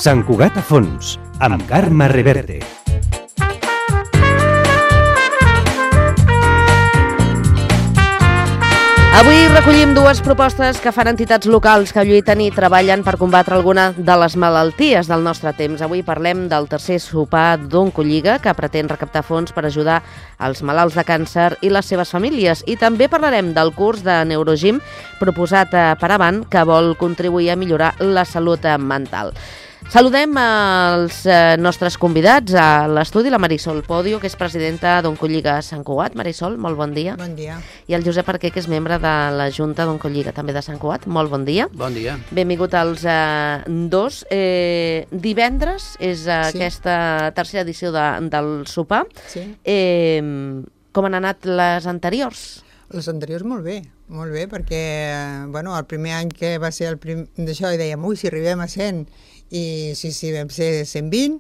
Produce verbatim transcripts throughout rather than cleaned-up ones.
Sant Cugat a fons, amb Carme Reverte. Avui recollim dues propostes que fan entitats locals que lluiten i treballen per combatre alguna de les malalties del nostre temps. Avui parlem del tercer sopar d'Oncolliga, que pretén recaptar fons per ajudar els malalts de càncer i les seves famílies. I també parlarem del curs de Neurogym proposat per Avant, que vol contribuir a millorar la salut mental. Saludem els nostres convidats a l'estudi, la Marisol Podio, que és presidenta d'Oncolliga Sant Cugat. Marisol, molt bon dia. Bon dia. I el Josep Arquer, que és membre de la Junta d'Oncolliga, també de Sant Cugat. Molt bon dia. Bon dia. Benvingut als eh, dos. Eh, divendres és eh, sí. aquesta tercera edició de, del sopar. Sí. Eh, com han anat les anteriors? Les anteriors molt bé, molt bé, perquè bueno, el primer any que va ser el prim... d'això i dèiem, ui, si arribem a cent, i sí, sí, vam ser cent vint,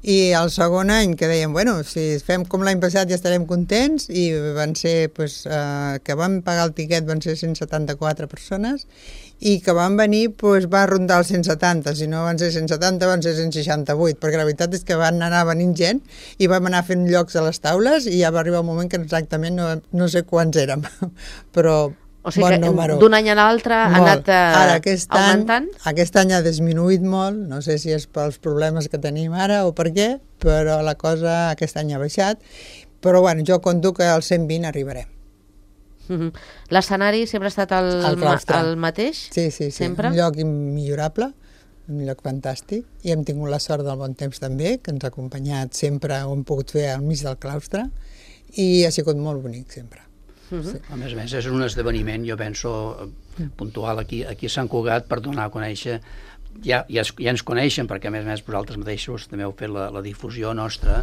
i el segon any que dèiem, bueno, si fem com l'any passat ja estarem contents, i van ser, pues, eh, que vam pagar el tiquet van ser cent setanta-quatre persones, i que van venir, pues, va rondar els cent setanta, si no van ser cent setanta van ser cent seixanta-vuit, perquè la veritat és que van anar venint gent, i vam anar fent llocs a les taules, i ja va arribar un moment que exactament no, no sé quants érem, però... O sigui bon que número. D'un any a l'altre ha anat eh, ara, aquest augmentant? Any, aquest any ha disminuït molt, no sé si és pels problemes que tenim ara o per què, però la cosa aquest any ha baixat, però bueno, jo conto que als cent vint arribarem. Mm-hmm. L'escenari sempre ha estat el, el, el mateix? Sí, sí, sí. Sempre? Un lloc immillorable, un lloc fantàstic, i hem tingut la sort del bon temps també, que ens ha acompanyat sempre, ho hem pogut fer al mig del claustre, i ha sigut molt bonic sempre. Uh-huh. Sí. A més a més, és un esdeveniment, jo penso, puntual aquí, aquí a Sant Cugat per donar a conèixer, ja, ja, ja ens coneixen, perquè a més a més vosaltres mateixos també heu fet la, la difusió nostra,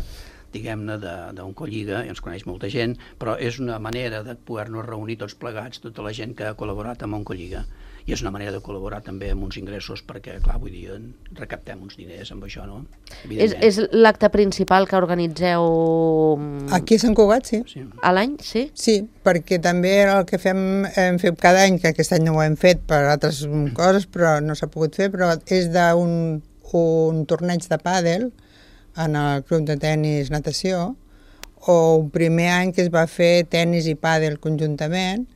diguem-ne, d'Oncolliga, i ens coneix molta gent, però és una manera de poder-nos reunir tots plegats, tota la gent que ha col·laborat amb Oncolliga, i és una manera de col·laborar també amb uns ingressos perquè, clar, vull dir, recaptem uns diners amb això, no? És, és l'acte principal que organitzeu... Aquí a Sant Cugat, sí. sí. A l'any, sí? Sí, perquè també el que fem, hem fet cada any, que aquest any no ho hem fet per altres coses, però no s'ha pogut fer, però és d'un un torneig de pàdel en el club de tenis natació, o un primer any que es va fer tenis i pàdel conjuntament.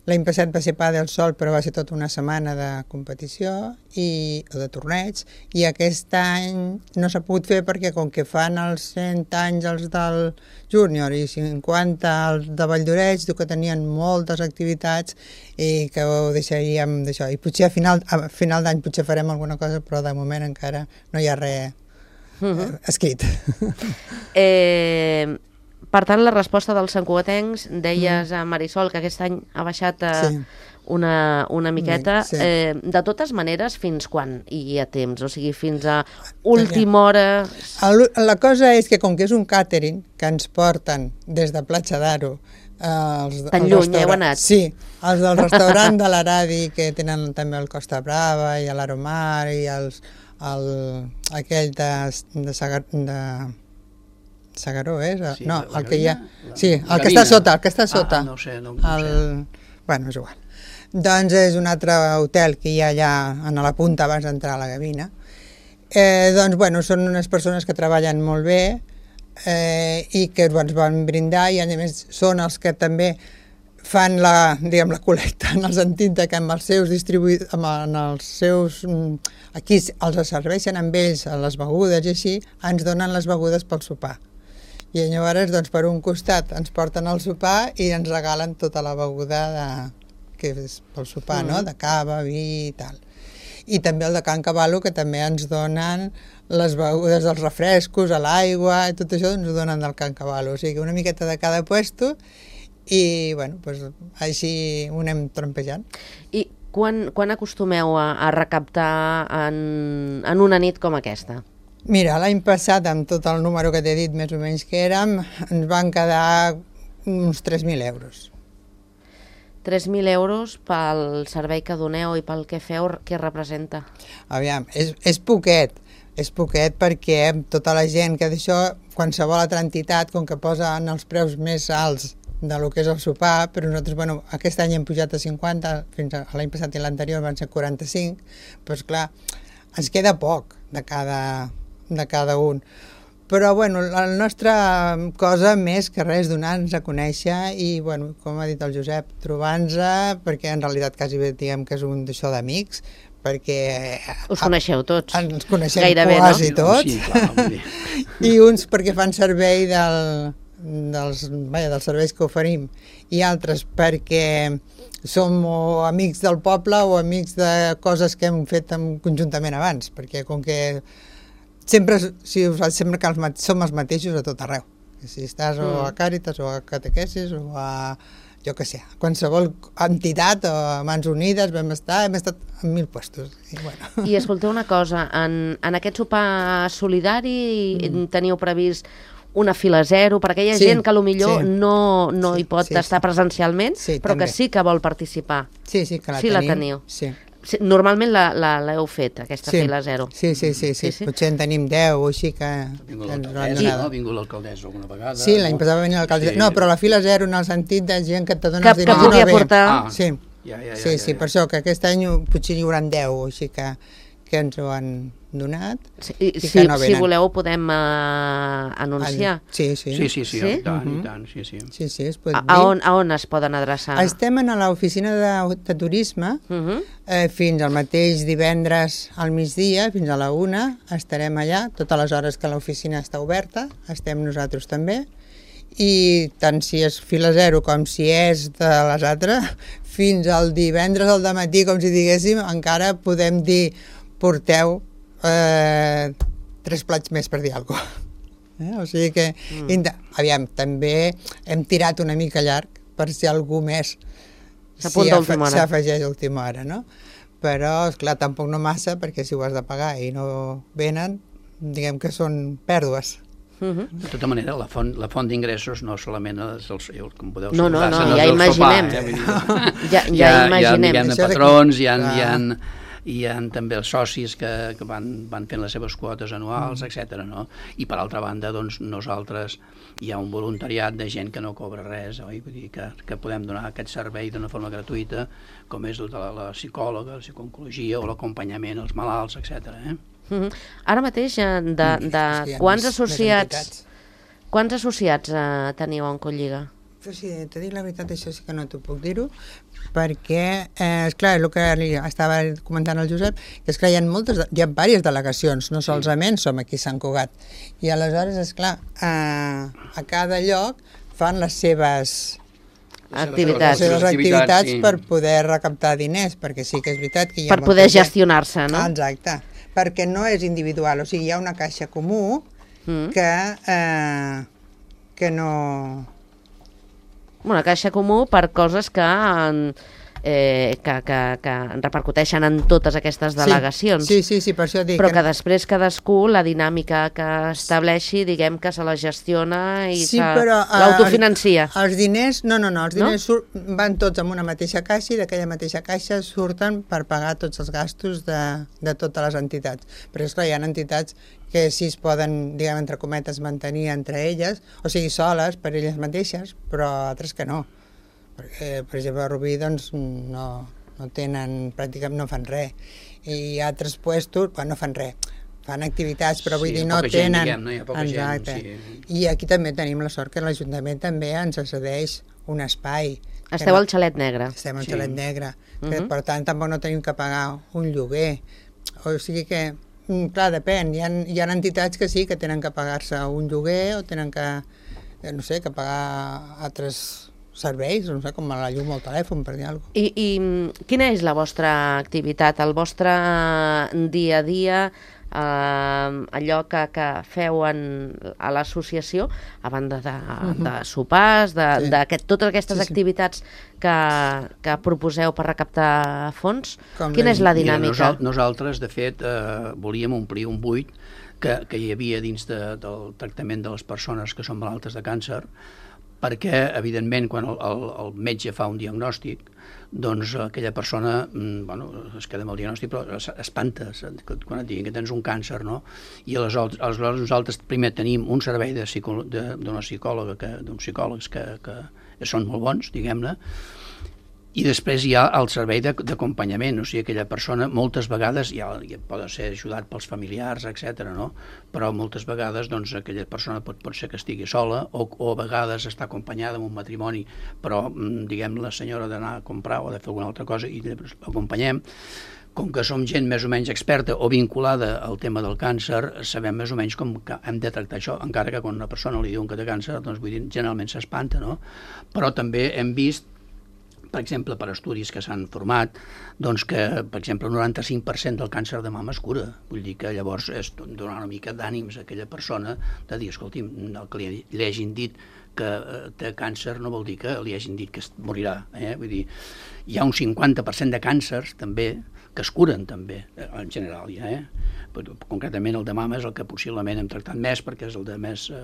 L'any passat va ser pàdel sol, però va ser tota una setmana de competició i, o de torneig, i aquest any no s'ha pogut fer perquè com que fan els cent anys els del júnior i cinquanta els de Valldoreix, que tenien moltes activitats i que ho deixaríem d'això. I potser a final, a final d'any potser farem alguna cosa, però de moment encara no hi ha res uh-huh. eh, escrit. Eh... Per tant, la resposta dels santcugatencs, deies a Marisol que aquest any ha baixat eh, sí. una, una miqueta. Sí. Eh, de totes maneres, fins quan hi ha temps? O sigui, fins a última hora... El, la cosa és que com que és un càtering que ens porten des de Platja d'Aro... Eh, Tan lluny, heu anat? Sí, els del restaurant de l'Aradi, que tenen també el Costa Brava i l'Aromar i els, el, aquell de... de, Sagar, de Sagaró, és? Eh? Sí, no, el que hi ha... Sí, el que està sota, el que està sota. Ah, no ho sé, no ho el... sé. Bueno, és igual. Doncs és un altre hotel que hi ha allà a la punta abans d'entrar a la Gavina. Eh, doncs, bueno, són unes persones que treballen molt bé eh, i que ens van brindar, i a més són els que també fan la, diguem, la col·lecta en el sentit que amb els seus distribuïdors, amb els seus... Aquí els serveixen amb ells a les begudes i així, ens donen les begudes pel sopar. I llavors, doncs, per un costat ens porten al sopar i ens regalen tota la beguda de, que és pel sopar, mm. no? De cava, vi i tal. I també el de Can Cavallo, que també ens donen les begudes dels refrescos, l'aigua, i tot això ens ho donen del Can Cavallo. O sigui, una miqueta de cada puesto i, bueno, doncs, així ho anem trompejant. I quan, quan acostumeu a, a recaptar en, en una nit com aquesta? Mira, l'any passat, amb tot el número que t'he dit més o menys que érem, ens van quedar uns tres mil euros. tres mil euros pel servei que doneu i pel que feu, què representa? Aviam, és, és poquet. és poquet perquè tota la gent que d'això, qualsevol altra entitat, com que posen els preus més alts de lo que és el sopar, però nosaltres, bueno, aquest any hem pujat a cinquanta, fins a l'any passat i l'anterior van ser quaranta-cinc, doncs clar, ens queda poc de cada, de cada un. Però, bueno, la nostra cosa més que res donar-nos a conèixer i, bueno, com ha dit el Josep, trobar-nos, perquè en realitat quasi bé diguem que és un d'això d'amics, perquè... Us coneixeu tots. Ens coneixem gairebé, quasi no? tots. Sí, clar, I uns perquè fan servei del, dels, vaja, dels serveis que oferim, i altres perquè som o amics del poble o amics de coses que hem fet conjuntament abans, perquè com que sempre, si us sempre que els, som els mateixos a tot arreu. Si estàs o a Càritas o a Catequesis o a, jo què sé, qualsevol entitat o a Mans Unides vam estar, hem estat en mil puestos. I, bueno. I escolteu una cosa, en, en aquest sopar solidari mm. teniu previst una fila zero per aquella sí, gent que potser sí. no, no sí, hi pot sí, estar sí. presencialment, sí, però també. que sí que vol participar. Sí, sí, que la sí tenim. La teniu. Sí. Normalment l'heu fet, aquesta sí. fila zero. Sí, sí, sí, sí, sí, sí. Potser en tenim deu o així que... Ha vingut l'alcaldessa, no? Ha vingut l'alcaldessa alguna vegada. Sí, l'any passat va venir l'alcaldessa. Sí. No, però la fila zero en el sentit de gent que te dona que, els diners. Que pugui no aportar... Ah. Sí, ja, ja, ja, sí, ja, sí, ja. per això que aquest any potser hi haurà deu o així que, que ens ho han donat. Sí, i si, que no si voleu ho podem uh, anunciar. Sí, sí. Sí, sí, sí, sí? i tant, Uh -huh. i tant, sí, sí. Sí, sí, es pot A, dir. a, on, a on es poden adreçar? Estem a l'oficina de, de turisme Uh -huh. eh, fins al mateix divendres al migdia, fins a la una, estarem allà, totes les hores que l'oficina està oberta, estem nosaltres també, i tant si és fila zero com si és de les altres, fins al divendres al dematí, com si diguéssim, encara podem dir porteu eh, tres plats més per dir alguna cosa. Eh? O sigui que, mm. aviam, també hem tirat una mica llarg per si algú més s'afegeix a última hora, no? Però, esclar, tampoc no massa, perquè si ho has de pagar i no venen, diguem que són pèrdues. Uh -huh. De tota manera, la font, la font d'ingressos no solament és el, com podeu no, no, no, no ja imaginem. Sopar, eh? ja, ja, ja imaginem. Hi ha, hi ha patrons, hi ha, hi ha, hi ha també els socis que, que van, van fent les seves quotes anuals, mm. etcètera. No? I per altra banda, doncs, nosaltres hi ha un voluntariat de gent que no cobra res, oi? Vull dir que, que podem donar aquest servei d'una forma gratuïta, com és tota la, la psicòloga, la psicooncologia o l'acompanyament als malalts, etcètera. Eh? Uh -huh. Ara mateix, de, de sí, quants associats quants associats uh, teniu a Oncolliga? Però sí, t'he dit la veritat, això sí que no t'ho puc dir-ho, perquè, eh, esclar, el que li estava comentant el Josep, que esclar, hi ha moltes, hi ha diverses delegacions, no solament som aquí a Sant Cugat, i aleshores, esclar, eh, a cada lloc fan les seves activitats, les seves activitats sí. per poder recaptar diners, perquè sí que és veritat que hi ha per poder gestionar-se, no? Exacte, perquè no és individual, o sigui, hi ha una caixa comú mm. que, eh, que no... Una caixa comú per coses que, eh, que, que, que repercuteixen en totes aquestes delegacions. Sí, sí, sí, per això dic... Però que, que després cadascú, la dinàmica que estableixi, diguem que se la gestiona i sí, se uh, l'autofinancia. Els diners, no, no, no, els diners no? van tots en una mateixa caixa i d'aquella mateixa caixa surten per pagar tots els gastos de, de totes les entitats. Però és clar, hi ha entitats que sí es poden, diguem, entre cometes, mantenir entre elles, o sigui, soles per elles mateixes, però altres que no. Perquè, per exemple, a Rubí, doncs, no, no tenen, pràcticament no fan res. I altres puestos, bueno, no fan res, fan activitats, però vull sí, dir, no gent, tenen... Diguem, no? Hi ha poca exacte. Gent, sí. I aquí també tenim la sort que l'Ajuntament també ens cedeix un espai. Esteu no, al Xalet Negre. Estem al sí. Xalet Negre, que, uh -huh. per tant, tampoc no tenim que pagar un lloguer. O sigui que... Clar, depèn. Hi ha, hi ha entitats que sí, que tenen que pagar-se un lloguer o tenen que, no sé, que pagar altres serveis, no sé, com la llum o el telèfon, per dir alguna cosa. I, I quina és la vostra activitat, el vostre dia a dia, eh, allò que, que feu en, a l'associació, a banda de, uh -huh. de sopars, de, sí. de que, totes aquestes sí, sí. activitats que, que proposeu per recaptar fons? Com quina és la dinàmica? Mira, nosaltres, de fet, eh, volíem omplir un buit que, que hi havia dins de, del tractament de les persones que són malaltes de càncer, perquè, evidentment, quan el, el, el metge fa un diagnòstic, doncs aquella persona, bueno, es queda amb el diagnòstic, però espanta quan et diguin que tens un càncer, no? I aleshores, aleshores nosaltres primer tenim un servei de psicò, d'una psicòloga, que, d'uns psicòlegs que, que són molt bons, diguem-ne, i després hi ha el servei d'acompanyament, o sigui, aquella persona moltes vegades ja, ja pot ser ajudat pels familiars, etcètera, no? Però moltes vegades doncs, aquella persona pot, pot ser que estigui sola o, o a vegades està acompanyada en un matrimoni, però diguem la senyora d'anar a comprar o de fer alguna altra cosa i l'acompanyem. Com que som gent més o menys experta o vinculada al tema del càncer, sabem més o menys com que hem de tractar això, encara que quan una persona li diuen que té càncer, doncs vull dir, generalment s'espanta, no? Però també hem vist, per exemple, per estudis que s'han format, doncs que, per exemple, el noranta-cinc per cent del càncer de mama es cura. Vull dir que llavors és donar una mica d'ànims a aquella persona de dir, escolti'm, el que li, li hagin dit que té càncer no vol dir que li hagin dit que es morirà. Eh? Vull dir, hi ha un cinquanta per cent de càncers, també, que es curen, també, en general, ja, eh? Concretament el de mama és el que possiblement hem tractat més perquè és el de més eh,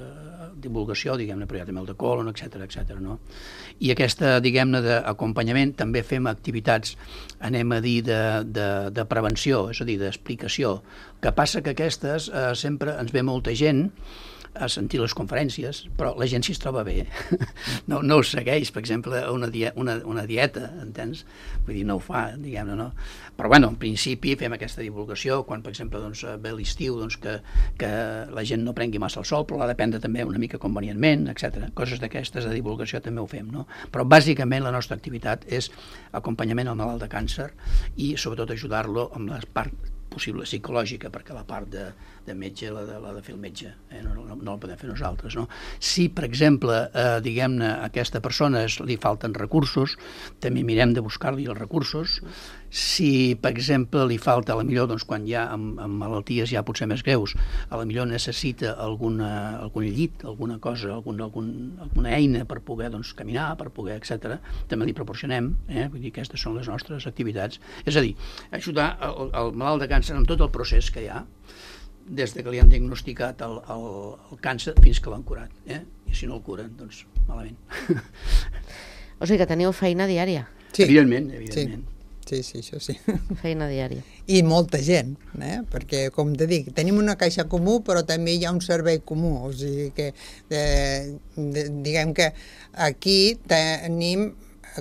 divulgació, diguem-ne, però hi ha també el de colon, etcètera, etcètera, no? I aquesta, diguem-ne, d'acompanyament també fem activitats, anem a dir, de, de, de prevenció, és a dir, d'explicació. El que passa que aquestes eh, sempre ens ve molta gent a sentir les conferències, però la gent si es troba bé, no, no ho segueix, per exemple, una, die una, una dieta, entens? Vull dir, no ho fa, diguem-ne, no? Però, bueno, en principi fem aquesta divulgació, quan, per exemple, doncs, ve l'estiu, doncs, que, que la gent no prengui massa el sol, però l'ha de prendre també una mica convenientment, etcètera. Coses d'aquestes de divulgació també ho fem, no? Però, bàsicament, la nostra activitat és acompanyament al malalt de càncer i, sobretot, ajudar-lo amb la part possible psicològica, perquè la part de, de metge l'ha de, de fer el metge, eh? no, no, no la podem fer nosaltres. No? Si, per exemple, eh, diguem-ne, a aquesta persona li falten recursos, també mirem de buscar-li els recursos. Si, per exemple, li falta, a la millor, doncs, quan hi ha amb, amb malalties ja potser més greus, a la millor necessita alguna, algun llit, alguna cosa, algun, algun, alguna eina per poder doncs, caminar, per poder, etcètera, també li proporcionem. Eh? Vull dir, aquestes són les nostres activitats. És a dir, ajudar el, el malalt de càncer en tot el procés que hi ha, des de que li han diagnosticat el, el, el càncer fins que l'han curat. Eh? I si no el curen, doncs malament. O sigui que teniu feina diària. Sí. Evidentment, evidentment. Sí, sí, això sí. Feina diària. I molta gent, eh? Perquè, com te dic, tenim una caixa comú, però també hi ha un servei comú. O sigui que, eh, de, diguem que aquí tenim,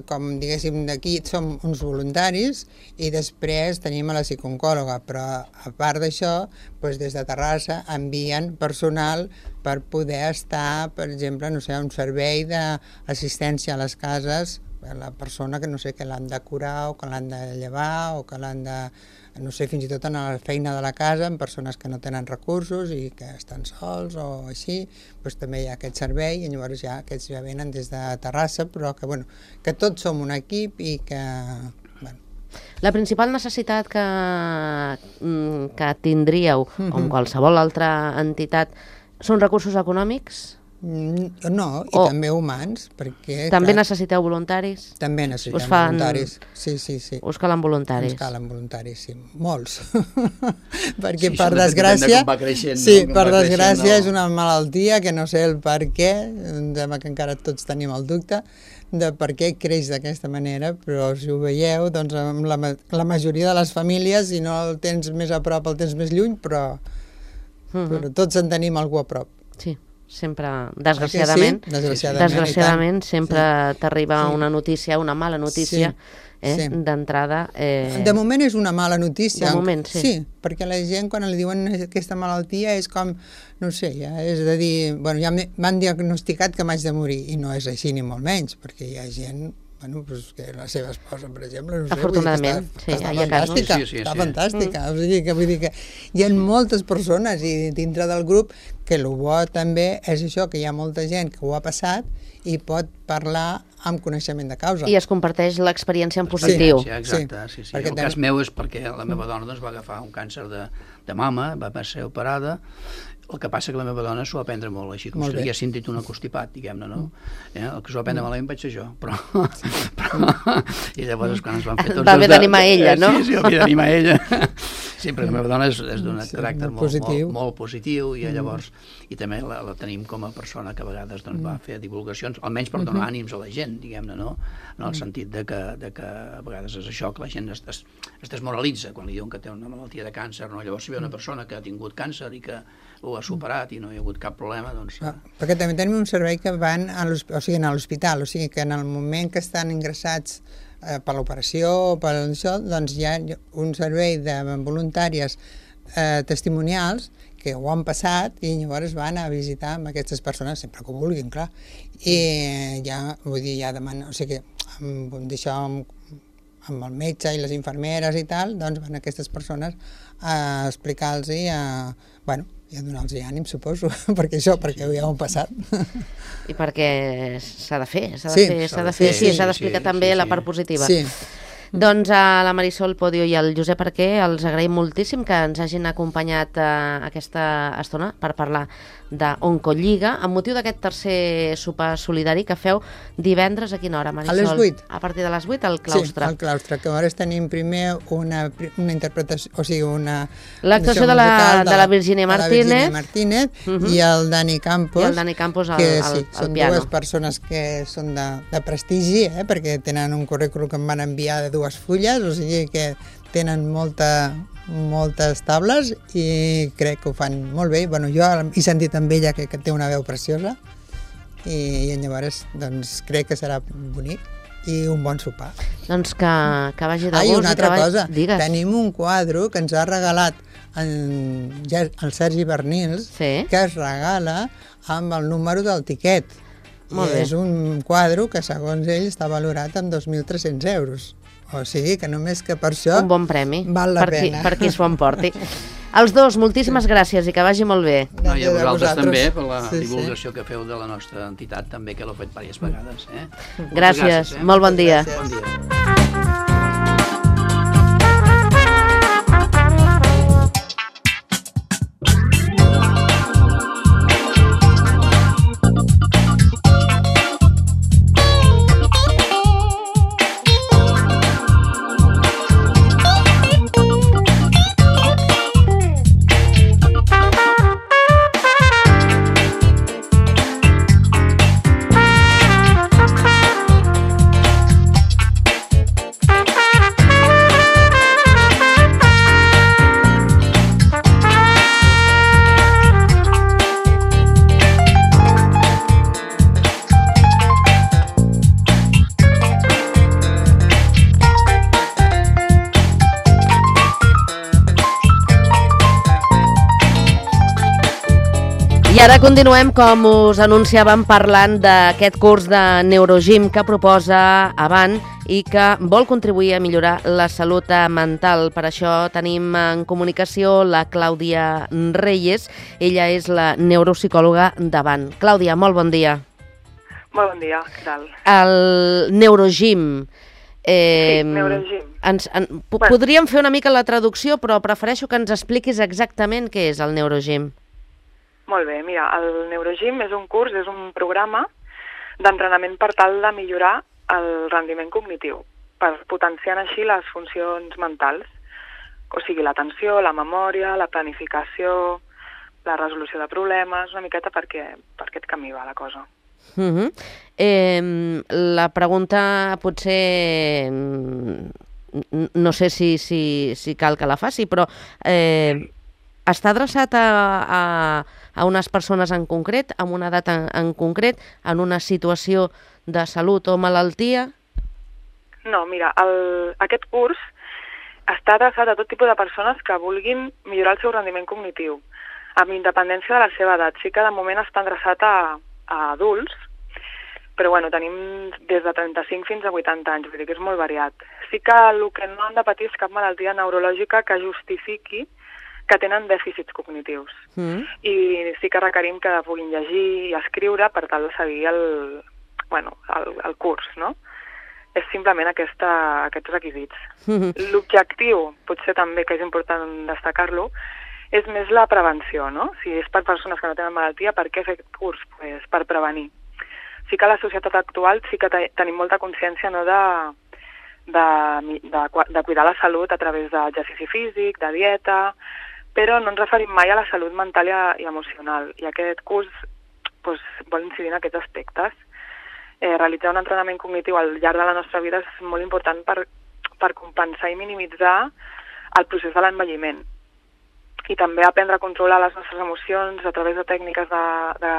com diguéssim, d'aquí som uns voluntaris i després tenim a la psicòloga, però a part d'això, doncs des de Terrassa envien personal per poder estar, per exemple, no sé, un servei d'assistència a les cases, la persona que no sé, que l'han de curar o que l'han de llevar o que l'han de, no sé, fins i tot en la feina de la casa, amb persones que no tenen recursos i que estan sols o així, doncs també hi ha aquest servei i llavors ja aquests ja venen des de Terrassa, però que, bueno, que tots som un equip i que... Bueno. La principal necessitat que, que tindríeu, mm-hmm. com qualsevol altra entitat, són recursos econòmics? No, i o també humans, perquè... També clar, necessiteu voluntaris? També necessitem us fan... voluntaris, sí, sí, sí. Us calen voluntaris? Ens calen voluntaris, sí, molts. Perquè sí, per desgràcia... De creixent, sí, no? Per desgràcia no. És una malaltia que no sé el per què, em sembla que encara tots tenim el dubte, de per què creix d'aquesta manera, però si ho veieu, doncs la, la majoria de les famílies, si no el tens més a prop, el tens més lluny, però, uh-huh. però tots en tenim algú a prop. Sí. Sempre, desgraciadament, sí? desgraciadament, desgraciadament sempre sí. t'arriba sí. una notícia, una mala notícia, sí. eh, sí. d'entrada... Eh... De moment és una mala notícia. De moment, sí. Sí, perquè la gent, quan li diuen aquesta malaltia, és com, no sé, ja és de dir... Bueno, ja m'han diagnosticat que m'haig de morir, i no és així ni molt menys, perquè hi ha gent... Bueno, pues que la seva esposa, per exemple, no sé, afortunadament, està, sí, està hi ha fantàstica, casos. Sí, sí, sí, està sí. fantàstica. Mm. O sigui, que vull dir que hi ha moltes persones i dintre del grup que el bo també és això, que hi ha molta gent que ho ha passat i pot parlar amb coneixement de causa. I es comparteix l'experiència en positiu. Sí, exacte, sí, sí. sí. El tem... cas meu és perquè la meva dona doncs, va agafar un càncer de, de mama, va ser operada. El que passa que la meva dona s'ho va prendre molt, així com si hagués sentit un acostipat, diguem-ne, no? Eh? El que s'ho va prendre mm. malament vaig ser jo, però... però... I llavors, quan ens van fer tots... Va haver d'animar ella, no? Sí, sí, va haver d'animar ella. sempre la meva dona és, és d'un Sí, caràcter molt molt, positiu. molt, molt positiu i llavors, i també la, la tenim com a persona que a vegades doncs, va fer divulgacions, almenys per donar ànims a la gent, diguem-ne, no? En el sentit de que, de que a vegades és això, que la gent es, es, es desmoralitza quan li diuen que té una malaltia de càncer, no? Llavors si ve una persona que ha tingut càncer i que ho ha superat i no hi ha hagut cap problema, doncs... Ah, perquè també tenim un servei que van a l'hosp- o sigui, a l'hospital, o sigui que en el moment que estan ingressats eh, per l'operació o per això, doncs hi ha un servei de voluntàries eh, testimonials que ho han passat i llavors van a visitar amb aquestes persones sempre que ho vulguin, clar. I ja, vull dir, ja demanen, o sigui, amb, d'això amb, amb el metge i les infermeres i tal, doncs van aquestes persones a explicar-los i a, bueno, i a donar-los ànim, suposo, perquè això, perquè ja ho han passat. I perquè s'ha de fer, s'ha de Sí, fer, s'ha s'ha de de fer, fer, sí, sí, s'ha d'explicar sí, també sí, la sí. part positiva. Sí. Doncs a la Marisol Podio i al Josep Arquer els agraïm moltíssim que ens hagin acompanyat eh, aquesta estona per parlar d'Oncolliga amb motiu d'aquest tercer sopar solidari que feu divendres a quina hora, Marisol? A les vuit. A partir de les vuit al claustre. Sí, al claustre, que llavors tenim primer una, una interpretació, o sigui, una... L'actuació de, la, musical de la Virginia de la Martínez, Virginia Martínez uh -huh. i el Dani Campos. I el Dani Campos al, que, al, sí, al són piano. dues persones que són de, de prestigi, eh, perquè tenen un currículum que em van enviar de dues fulles, o sigui que tenen molta, moltes tables i crec que ho fan molt bé. Bueno, jo he sentit amb ella que, que té una veu preciosa i, i llavors doncs, crec que serà bonic i un bon sopar. Doncs que, que vagi de Ah, i gust. una i altra que vagi... cosa, Digues. tenim un quadre que ens ha regalat en, ja, el Sergi Bernils, Sí. que es regala amb el número del tiquet. Molt I bé. és un quadre que, segons ell, està valorat en dos mil tres-cents euros. O sigui que només que per això Un bon premi val la per pena. qui, per qui s'ho emporti. Els dos, moltíssimes gràcies i que vagi molt bé. No, i a De vosaltres vosaltres. també, per la Sí, sí. divulgació que feu de la nostra entitat, també, que l'heu fet diverses vegades. Eh? Moltes Gràcies, eh? molt bon dia. Gràcies. Bon dia. I ara continuem, com us anunciàvem, parlant d'aquest curs de Neurogym que proposa Avant i que vol contribuir a millorar la salut mental. Per això tenim en comunicació la Clàudia Reyes. Ella és la neuropsicòloga d'Avant. Clàudia, molt bon dia. Molt bon dia, què tal? El Neurogym. Eh, Sí, Neurogym. Ens, en, po Bueno. podríem fer una mica la traducció, però prefereixo que ens expliquis exactament què és el Neurogym. Molt bé, mira, el Neurogym és un curs, és un programa d'entrenament per tal de millorar el rendiment cognitiu, per potenciar així les funcions mentals, o sigui, l'atenció, la memòria, la planificació, la resolució de problemes, una miqueta perquè per aquest camí va la cosa. Uh -huh. eh, la pregunta potser mm, no sé si, si, si cal que la faci, però eh, està adreçat a, a, a unes persones en concret, amb una edat en, en concret, en una situació de salut o malaltia? No, mira, el, aquest curs està adreçat a tot tipus de persones que vulguin millorar el seu rendiment cognitiu, amb independència de la seva edat. Sí que de moment està adreçat a, a adults, però bueno, tenim des de trenta-cinc fins a vuitanta anys, vull dir que és molt variat. Sí que el que no han de patir és cap malaltia neurològica que justifiqui que tenen dèficits cognitius. Mm. I sí que requerim que puguin llegir i escriure per tal de seguir el, bueno, el, el curs, no? És simplement aquesta, aquests requisits. Mm -hmm. L'objectiu, potser també que és important destacar-lo, és més la prevenció, no? Si és per persones que no tenen malaltia, per què fer aquest curs? Pues per prevenir. Sí que a la societat actual sí que te tenim molta consciència, no, de, de, de, de cuidar la salut a través d'exercici físic, de dieta, però no ens referim mai a la salut mental i, i emocional. I aquest curs doncs, vol incidir en aquests aspectes. Eh, realitzar un entrenament cognitiu al llarg de la nostra vida és molt important per, per compensar i minimitzar el procés de l'envelliment. I també aprendre a controlar les nostres emocions a través de tècniques de, de,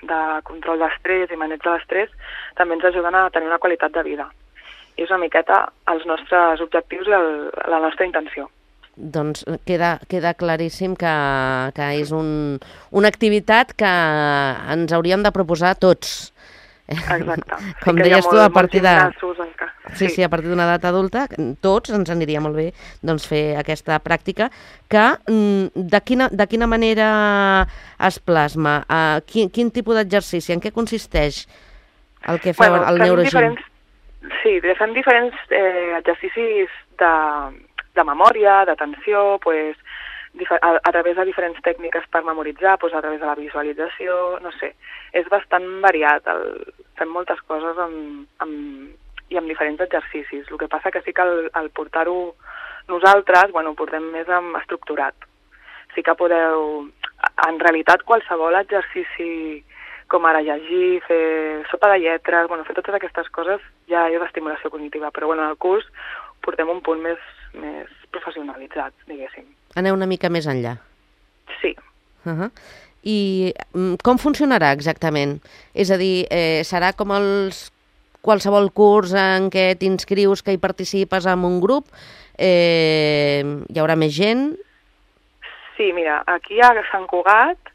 de control d'estrès i maneig de l'estrès també ens ajuden a tenir una qualitat de vida. I és una miqueta els nostres objectius i el, la nostra intenció. Doncs queda, queda claríssim que, que és un, una activitat que ens hauríem de proposar tots. Exacte. Com sí deies molt, tu, a partir de... Sí, sí, sí, a partir d'una edat adulta, tots ens aniria molt bé doncs, fer aquesta pràctica que de quina, de quina manera es plasma? Uh, quin, quin tipus d'exercici? En què consisteix el que fa bueno, el neurogym? Sí, fem diferents eh, exercicis de, de memòria, d'atenció, pues, a, a través de diferents tècniques per memoritzar, pues, a través de la visualització, no sé. És bastant variat, el, fem moltes coses amb, amb, i amb diferents exercicis. El que passa que sí que al, al portar-ho nosaltres, bueno, ho portem més amb estructurat. Sí que podeu, en realitat, qualsevol exercici, com ara llegir, fer sopa de lletres, bueno, fer totes aquestes coses ja és d'estimulació cognitiva, però bueno, en el curs portem un punt més, més professionalitzat, diguéssim. Aneu una mica més enllà. Sí. Uh-huh. I com funcionarà exactament? És a dir, eh, serà com els qualsevol curs en què t'inscrius, que hi participes en un grup? Eh, hi haurà més gent? Sí, mira, aquí a Sant Cugat,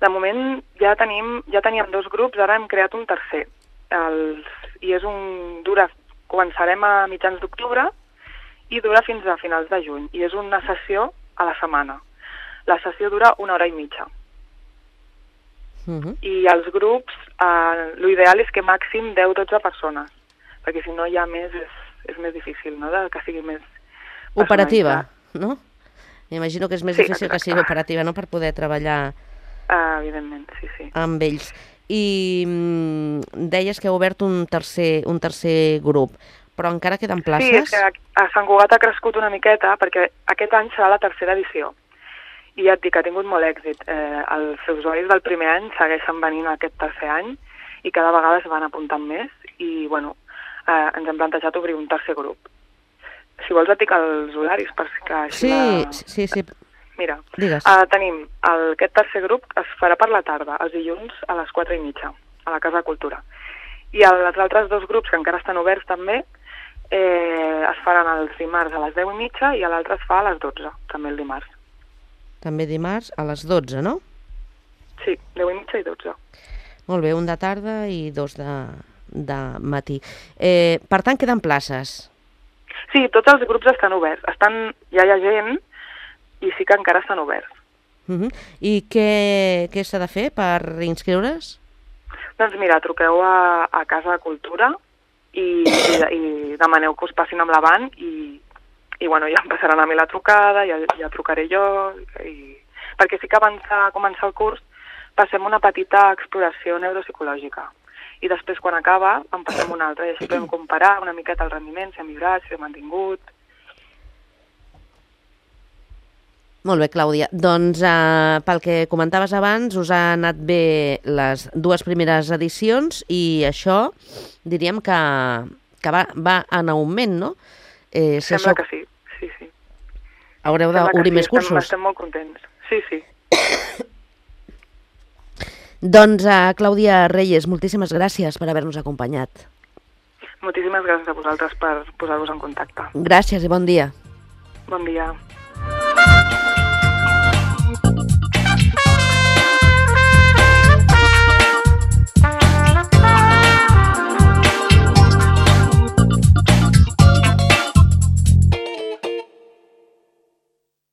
de moment ja tenim ja teníem dos grups, ara hem creat un tercer. Els, I és un... dura, començarem a mitjans d'octubre i dura fins a finals de juny. I és una sessió a la setmana. La sessió dura una hora i mitja. Uh-huh. I els grups, eh, l'ideal és que màxim deu a dotze persones, perquè si no hi ha més és, és més difícil, no?, de que sigui més operativa, no? M'imagino que és més sí, difícil exacte. que sigui operativa, no?, per poder treballar uh, evidentment, sí, sí. amb ells. I mm, deies que heu obert un tercer, un tercer grup, però encara queden places? Sí, és que a Sant Cugat ha crescut una miqueta, perquè aquest any serà la tercera edició. I ja et dic que ha tingut molt èxit. Eh, els usuaris del primer any segueixen venint aquest tercer any i cada vegada es van apuntant més i, bueno, eh, ens hem plantejat obrir un tercer grup. Si vols et dic els horaris, perquè així... Sí, la... sí, sí. Mira, Digues. eh, tenim el, aquest tercer grup es farà per la tarda, els dilluns a les quatre i mitja, a la Casa de Cultura. I els altres dos grups, que encara estan oberts també, eh, es faran els dimarts a les deu i mitja i l'altre es fa a les dotze, també el dimarts. També dimarts a les dotze, no? Sí, deu i mitja i dotze. Molt bé, un de tarda i dos de, de matí. Eh, per tant, queden places? Sí, tots els grups estan oberts. Estan, ja hi ha gent i sí que encara estan oberts. Uh-huh. I què, què s'ha de fer per inscriure's? Doncs mira, truqueu a, a Casa de Cultura i, i, i demaneu que us passin amb l'avant i, i bueno, ja em passaran a mi la trucada, ja, ja trucaré jo, i... perquè sí que abans de començar el curs passem una petita exploració neuropsicològica i després quan acaba en passem una altra i així podem comparar una miqueta el rendiment, si ha millorat, si ha mantingut. Molt bé, Clàudia. Doncs eh, pel que comentaves abans, us ha anat bé les dues primeres edicions i això diríem que, que va, va en augment, no? Eh, si Sembla això... que sí, sí, sí. Haureu d'obrir sí, més cursos? Estem, estem molt contents, sí, sí. Doncs, uh, Clàudia Reyes, moltíssimes gràcies per haver-nos acompanyat. Moltíssimes gràcies a vosaltres per posar-vos en contacte. Gràcies i bon dia. Bon dia.